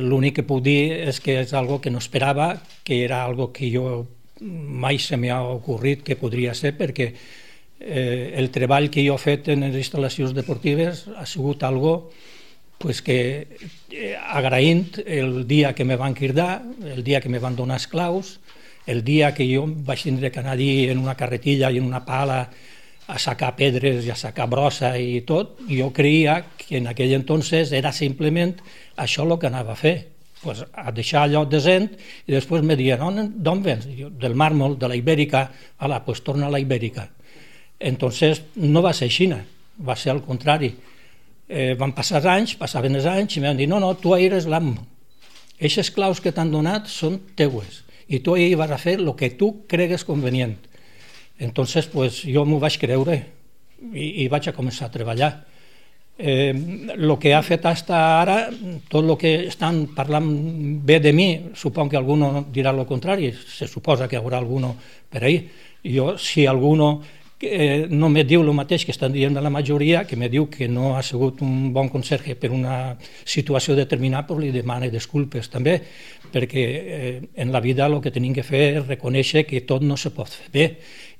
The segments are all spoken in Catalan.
l'únic que puc dir és que és algo que no esperava, que era algo que jo mai se m'ha ocorrit que podria ser, perquè el treball que jo he fet en les instal·lacions deportives ha sigut algo pues que agraint el dia que me van cridar, el dia que me van donar esclaus, el dia que jo vaig tindre que anar allí en una carretilla i en una pala a sacar pedres i a sacar brossa i tot, jo creia que en aquell entonces era simplement això el que anava a fer, pues a deixar allò decent, i després me diuen, d'on vens? Del màrmol, de la Ibèrica. Ala, pues torna a la Ibèrica. Entonces no va ser així, va ser al contrari. Van passar anys, passaven els anys, i em van dir, no, tu eres l'amo. Aquestes claus que t'han donat són teues, i tu ahir vas a fer el que tu cregues convenient. Entonces, pues, jo m'ho vaig creure i vaig a començar a treballar. El que ha fet fins ara, tot el que estan parlant bé de mi, suponc que algú dirà el contrari, se suposa que hi haurà algú per ahí. Jo, si algú no me diu el mateix que estan dient de la majoria, que me diu que no ha sigut un bon conserge per una situació determinada, doncs li demano disculpes també, perquè en la vida el que tenim que fer és reconèixer que tot no se pot fer bé,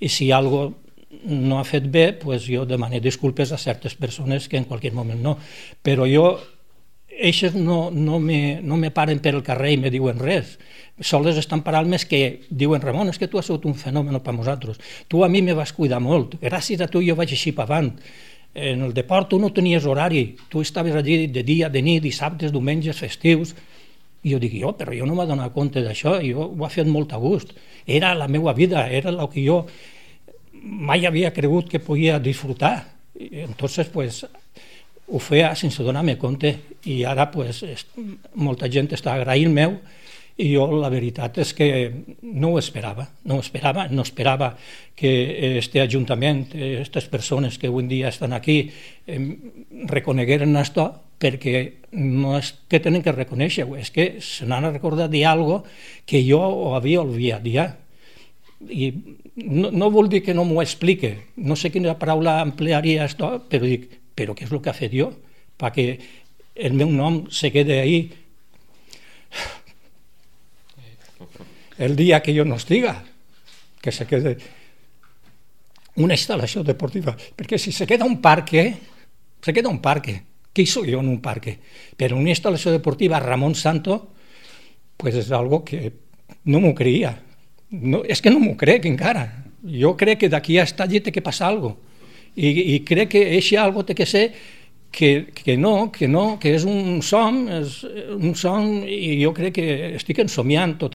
i si alguna cosa no ha fet bé, doncs jo demano disculpes a certes persones que en qualsevol moment no. Però jo, eixes no me paren per el carrer i me diuen res. Sols estan parant més que diuen, Ramon, és que tu has sigut un fenomen per nosaltres. Tu a mi me vas cuidar molt. Gràcies a tu jo vaig així per avant. En el deport tu no tenies horari. Tu estaves allí de dia, de nit, dissabtes, diumenges, festius. I jo dic, però jo no m'he donat compte d'això. Jo ho he fet molt a gust. Era la meva vida, era el que jo mai havia cregut que podia disfrutar. Entonces, pues, ho feia sense donar-me compte, i ara pues, molta gent està agraint-me, i jo la veritat és que no ho esperava, no esperava que este Ajuntament, aquestes persones que avui dia estan aquí, reconegueren això, perquè no és que tenen que reconèixer-ho, és que se n'han recordat d'algo que jo ho havia oblidat ja. I no vol dir que no m'ho explique, no sé quina paraula emplearia això, però dic, però què és el que ha fet jo perquè el meu nom se quede ahí el dia que jo no estiga, que se quede una instal·lació deportiva, perquè si se queda un parque, què hi soy jo en un parque? Però una instal·lació deportiva Ramon Santo, pues és algo que no m'ho creia. No, és que no m'ho crec encara. Jo crec que d'aquí a estar allí té que passar alguna cosa. I crec que això algo té que ser que no, que és un son, i jo crec que estic ensomiant tot